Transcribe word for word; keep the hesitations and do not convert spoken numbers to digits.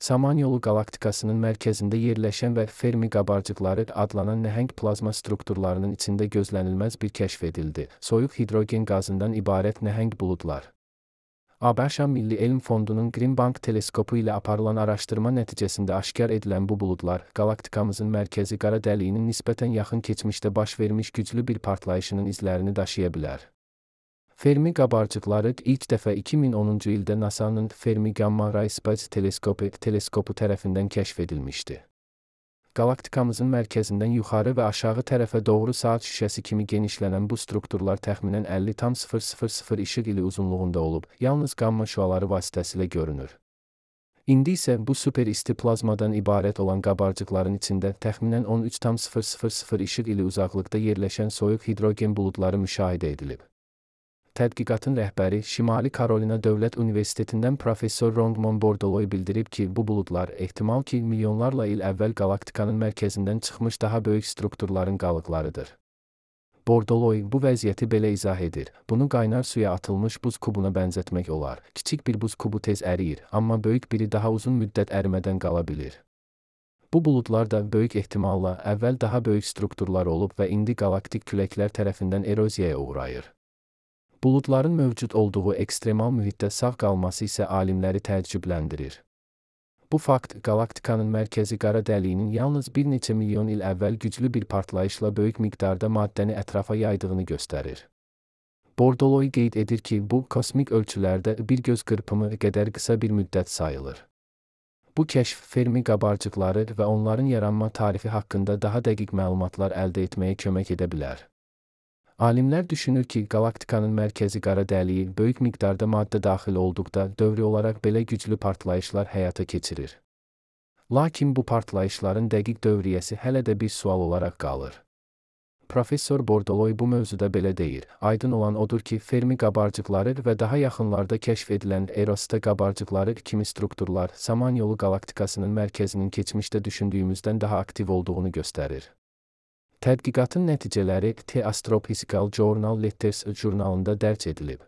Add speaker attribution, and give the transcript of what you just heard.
Speaker 1: Samanyolu qalaktikasının mərkəzində yerləşən və Fermi qabarcıqları adlanan nəhəng plazma strukturlarının içində gözlənilməz bir kəşf edildi. Soyuq hidrogen qazından ibarət nəhəng buludlar. ABŞ Milli Elm Fondunun Green Bank teleskopu ilə aparılan araşdırma nəticəsində aşkar edilən bu buludlar, qalaktikamızın mərkəzi qara dəliyinin nisbətən yaxın keçmişdə baş vermiş güclü bir partlayışının izlərini daşıya bilər. Fermi qabarcıqları ilk dəfə iki min onuncu ildə NASA'nın Fermi Gamma Ray Space Teleskopu teleskopu tərəfindən kəşf edilmişdi. Qalaktikamızın mərkəzindən yuxarı və aşağı tərəfə doğru saat şüşəsi kimi genişlənən bu strukturlar təxminən əlli tam sıfır sıfır sıfır işıq ili uzunluğunda olub, yalnız qamma şüaları vasitəsilə görünür. İndi isə bu super isti plazmadan ibarət olan qabarcıqların içində təxminən on üç tam sıfır sıfır sıfır işıq ili uzaqlıqda yerləşən soyuq hidrogen buludları müşahidə edilib. Tədqiqatın rəhbəri Şimali Karolina Dövlət Universitetindən professor Rongmon Bordoloy bildirib ki, bu buludlar ehtimal ki, milyonlarla il əvvəl qalaktikanın mərkəzindən çıxmış daha böyük strukturların qalıqlarıdır. Bordoloy bu vəziyyəti belə izah edir. Bunu qaynar suya atılmış buz kubuna bənzətmək olar. Kiçik bir buz kubu tez əriyir, amma böyük biri daha uzun müddət ərimədən qala bilir. Bu buludlar da böyük ehtimalla əvvəl daha böyük strukturlar olub və indi qalaktik küləklər tərəfindən eroziyaya uğrayır. Buludların mövcud olduğu ekstremal mühitdə sağ qalması isə alimləri təəccübləndirir. Bu fakt, qalaktikanın mərkəzi qara dəliyinin yalnız bir neçə milyon il əvvəl güclü bir partlayışla böyük miqdarda maddəni ətrafa yaydığını göstərir. Bordoloy qeyd edir ki, bu, kosmik ölçülərdə bir göz qırpımı qədər qısa bir müddət sayılır. Bu kəşf Fermi qabarcıqları və onların yaranma tarifi haqqında daha dəqiq məlumatlar əldə etməyə kömək edə bilər. Alimlər düşünür ki, qalaktikanın mərkəzi qara dəliyi böyük miqdarda maddə daxil olduqda dövri olaraq belə güclü partlayışlar həyata keçirir. Lakin bu partlayışların dəqiq dövriyyəsi hələ də bir sual olaraq qalır. Professor Bordoloy bu mövzuda belə deyir. Aydın olan odur ki, Fermi qabarcıqları və daha yaxınlarda kəşf edilən Erosta qabarcıqları kimi strukturlar Samanyolu qalaktikasının mərkəzinin keçmişdə düşündüyümüzdən daha aktiv olduğunu göstərir. Tədqiqatın nəticələri The Astrophysical Journal Letters jurnalında dərc edilib.